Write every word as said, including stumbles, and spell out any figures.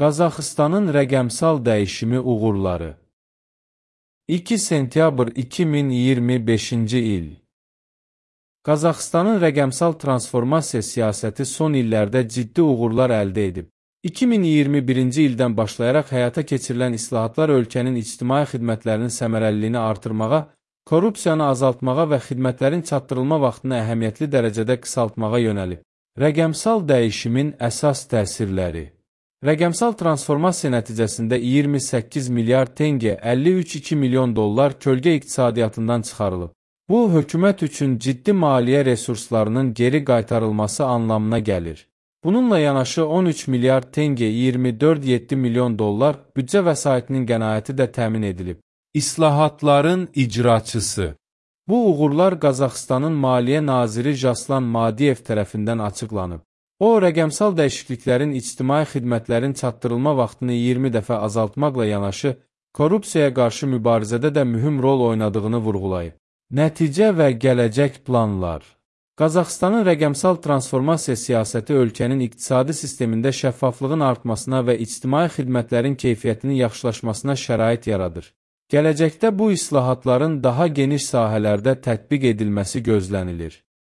Qazaxıstanın rəqəmsal dəyişimi uğurları. iki sentyabr iki min iyirmi beşinci il. Qazaxıstanın rəqəmsal transformasiya siyasəti son illərdə ciddi uğurlar əldə edib. iki min iyirmi birinci ildən başlayaraq həyata keçirilən islahatlar ölkənin ictimai xidmətlərinin səmərəliliyini artırmağa, korrupsiyanı azaltmağa və xidmətlərin çatdırılma vaxtını əhəmiyyətli dərəcədə qısaltmağa yönəlib. Rəqəmsal dəyişimin əsas təsirləri. Rəqəmsal transformasiya nəticəsində iyirmi səkkiz milyard tenge, əlli üç milyon iki milyon dollar kölgə iqtisadiyyatından çıxarılıb. Bu, hökumət üçün ciddi maliyyə resurslarının geri qaytarılması anlamına gəlir. Bununla yanaşı on üç milyard tenge, iyirmi dörd nöqtə yeddi milyon dollar büdcə vəsaitinin qənaəti də təmin edilib. İslahatların icraçısı. Bu uğurlar Qazaxıstanın Maliyyə Naziri Jaslan Madiyev tərəfindən açıqlanıb. O, rəqəmsal dəyişikliklərin ictimai xidmətlərin çatdırılma vaxtını iyirmi dəfə azaltmaqla yanaşı, korrupsiyaya qarşı mübarizədə də mühüm rol oynadığını vurğulayıb. Nəticə və gələcək planlar. Qazaxıstanın rəqəmsal transformasiya siyasəti ölkənin iqtisadi sistemində şəffaflığın artmasına və ictimai xidmətlərin keyfiyyətinin yaxşılaşmasına şərait yaradır. Gələcəkdə bu islahatların daha geniş sahələrdə tətbiq edilməsi gözlənilir.